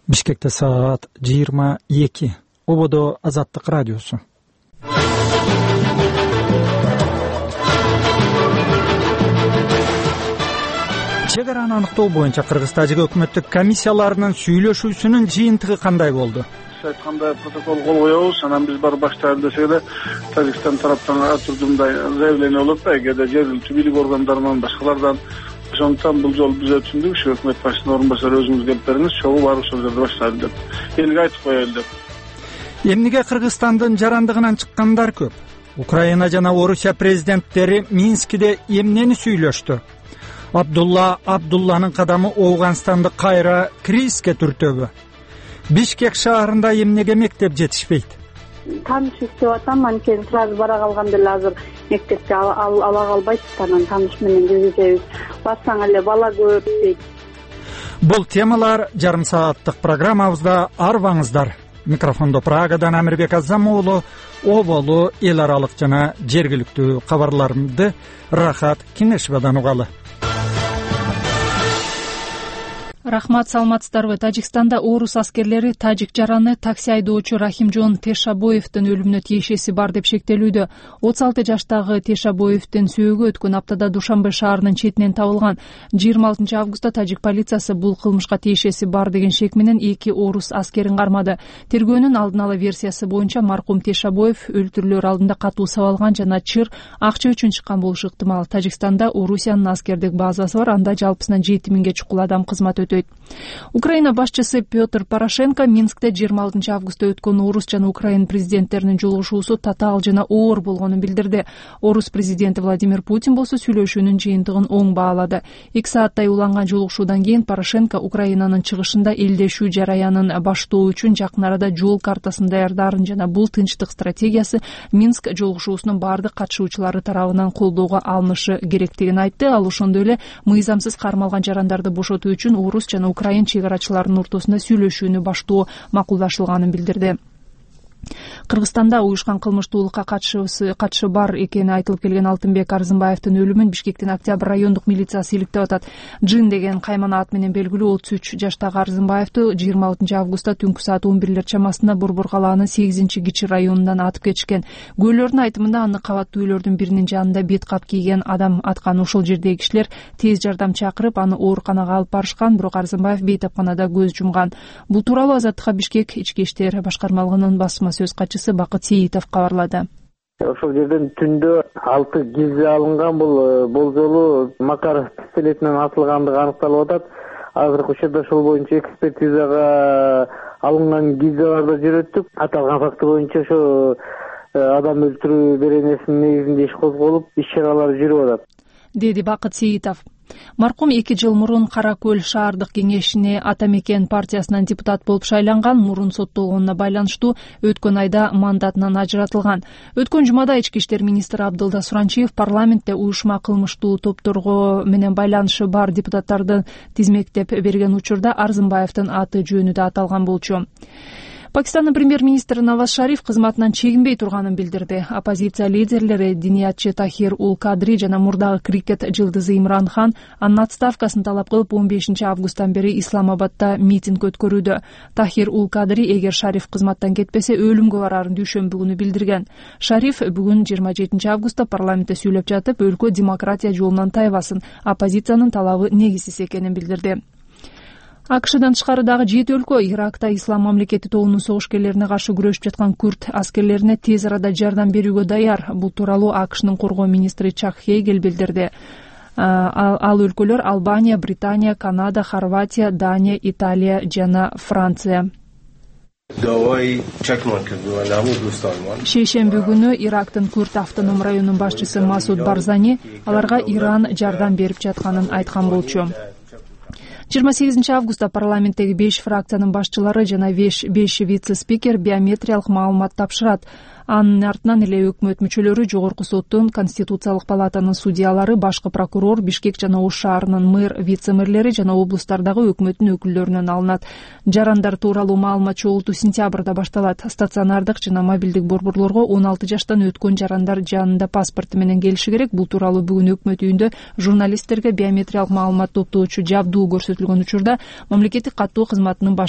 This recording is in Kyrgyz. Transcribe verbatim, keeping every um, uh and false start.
Бишкекте саат жыйырма эки. Ободо Азаттык радиосу. Чек араны аныктоо боюнча Кыргыз-Тажик өкмөттүк комиссияларынын сүйлөшүүсүнүн жыйынтыгы кандай болду? Айтканда протокол кол коебуз, анан биз барып баштайлы десек эле Тажикстан тараптан ар түрдүү мындай заявление болот да, эгерде жергиликтүү бийлик органдарынан, башкалардан. Ошондуктан бул жолу биз өтүндүк, ушу өкмөт башчысынын орун басары өзүңүз келип бериңиз, чогуу барып ошол жерде баштайлы деп. Элге айтып коелу деп. Эмнеге Кыргызстандын жарандыгынан чыккандар көп? Украина жана Орусия президенттери Минскиде эмнени сүйлөштү? Абдулла Абдулланын кадамы Ооганстанды кайра кризиске түртөбү? Бишкек шаарында эмнеге мектеп жетишпейт? Таныш иштеп атам, анткени сразу бара калганда эле азыр мектепке ала калбайт, анан таныш менен киргизебиз. Барсаң эле бала көп дейт. Бул темалар жарым сааттык программабызда арбаңыздар. Микрофондо Прагадан Амирбек Азам уулу, оболу, эл аралык жана жергиликтүү кабарларымды Рахат Кинешевадан угалы. Рахмат, саламатсыздарбы? Тажикстанда орус аскерлери тажик жараны такси айдоочу Рахимжон Тешабоевдин өлүмүнө тиешеси бар деп шектелүүдө. отуз алты жаштагы Тешабоевдин сөөгү өткөн аптада Душанбе шаарынын четинен табылган. жыйырма алтынчы августта тажик полициясы бул кылмышка тиешеси бар деген шек менен эки орус аскерин кармады. Тергөөнүн алдын ала версиясы боюнча маркум Тешабоев өлтүрүлөр алдында катуу сабалган жана чыр акча үчүн чыккан болушу ыктымал. Тажикстанда Орусиянын аскердик базасы бар, анда жалпысынан жети миңге чукул адам кызмат өтөйт. Украина башчысы Петр Порошенко Минскте жыйырма алтынчы августта өткөн орус жана украин президенттеринин жолугушуусу татаал жана оор болгонун билдирди. Орус президенти Владимир Путин болсо сүйлөшүүнүн жыйынтыгын оң баалады. эки сааттай уланган жолугушуудан кийин Порошенко Украинанын чыгышында элдешүү жараянын баштоо үчүн жакын арада жол картасын даярдаарын жана бул тынчтык стратегиясы Минск жолугушуусунун бардык катышуучулары тарабынан колдоого алынышы керектигин айтты. Ал ошондой эле мыйзамсыз кармалган жарандарды бошотуу үчүн орус жана украин чек арачыларынын ортосунда сүйлөшүүнү баштоо макулдашылганын билдирди. Кыргызстанда уюшкан кылмыштуулукка катышы бар экени айтылып келген Алтынбек Арзымбаевдин өлүмүн Бишкектин Октябрь райондук милициясы иликтеп атат. Джин деген каймана ат менен белгилүү отуз үч жаштагы Арзымбаевди жыйырма алтынчы августта түнкү саат он бирлер чамасында Борбор калаанын сегизинчи кичи районунан атып кетишкен. Күбөлөрдүн айтымында аны кабаттуу үйлөрдүн биринин жанында бет кап кийген адам аткан. Ошол жердеги кишилер тез жардам чакырып аны ооруканага алып барышкан, бирок Арзымбаев бейтапканада көз жумган. Бул тууралуу Азаттыкка Бишкек ички иштер башкармалыгынын басма сөз катчысы Бакыт Сейитов кабарлады. Ошол жерден түндө алты гильза алынган, бул болжолу Макаров пистолетинен атылгандыгы аныкталып атат. Азыркы учурда ошол боюнча экспертизага алынган гильзаларды жүрөттүк. Аталган факты боюнча ошо адам өлтүрүү беренесинин негизинде иш козголуп, иш-чаралар жүрүп атат, деди Бакыт Сейитов. Маркум эки жыл мурун Кара Көл шаардык кеңешине Ата Мекен партиясынан депутат болуп шайланган, мурун соттолгонуна байланыштуу өткөн айда мандатынан ажыратылган. Өткөн жумада ички иштер министри Абдылда Суранчиев парламентте уюшма кылмыштуу топторго менен байланышы бар депутаттарды тизмектеп берген учурда Арзымбаевдин аты жөнү да аталган болчу. Пакистандын премьер-министри Наваз Шариф кызматынан чегинбей турганын билдирди. Оппозиция лидерлери Диниятчы Тахир Ул Кадри жана мурдагы крикет жылдызы Имран Хан анын отставкасын талап кылып он бешинчи августтан бери Исламабадда митинг өткөрүүдө. Тахир Ул Кадри эгер Шариф кызматтан кетпесе өлүмгө барарын дүйшөмбү күнү билдирген. Шариф бүгүн жыйырма жетинчи августта парламентте сүйлөп жатып, өлкө демократия жолунан тайбасын, оппозициянын талабы негизсиз экенин билдирди. АКШдан тышкары дагы жети өлкө Иракта Ислам мамлекети тобунун согушкерлерине каршы күрөшүп жаткан күрд аскерлерине тез арада жардам берүүгө даяр. Бул тууралуу АКШнын коргоо министри Чак Хейгел билдирди. Ал өлкөлөр Албания, Британия, Канада, Хорватия, Дания, Италия жана Франция. Шейшемби күнү Ирактын Күрд автоном районунун башчысы Масуд Барзани аларга Иран жардам берип жатканын айткан болчу. жыйырма сегизинчи августта парламенттеги беш фракциянын башчылары жана беш вице-спикер биометриялык маалымат тапшырат. Анын артынан эле өкмөт мүчөлөрү, Жогорку соттун, Конституциялык палатанын судьялары, башкы прокурор, Бишкек жана Ош шаарынын мэр, вице-мэрлери жана облустардагы өкмөттүн өкүлдөрүнөн алынат. Жарандар тууралуу маалымат чогултуу сентябрда башталат. Стационардык жана мобилдик борборлорго он алты жаштан өткөн жарандар жанында паспорту менен келиши керек. Бул тууралуу бүгүн өкмөт үйүндө журналисттерге биометриялык маалымат топтоочу жабдуу көрсөтүлгөн учурда мамлекеттик каттоо кызматынын баш